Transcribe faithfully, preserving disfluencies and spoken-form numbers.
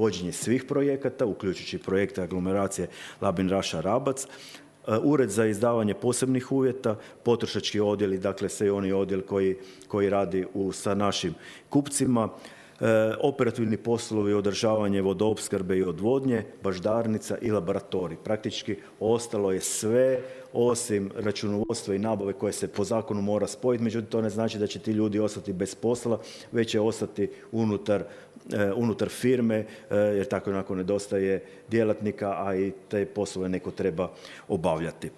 vođenje svih projekata, uključujući projekte aglomeracije Labin-Raša-Rabac, Ured za izdavanje posebnih uvjeta, potrošački odjeli, dakle sve oni odjel koji, koji radi u, sa našim kupcima, e, operativni poslovi, održavanje vodoopskrbe i odvodnje, baždarnica i laboratorij. Praktički ostalo je sve osim računovodstva i nabave koje se po zakonu mora spojiti, međutim to ne znači da će ti ljudi ostati bez posla, već će ostati unutar, e, unutar firme, e, jer tako onako nedostaje djelatnika, a i te poslove neko treba obavljati.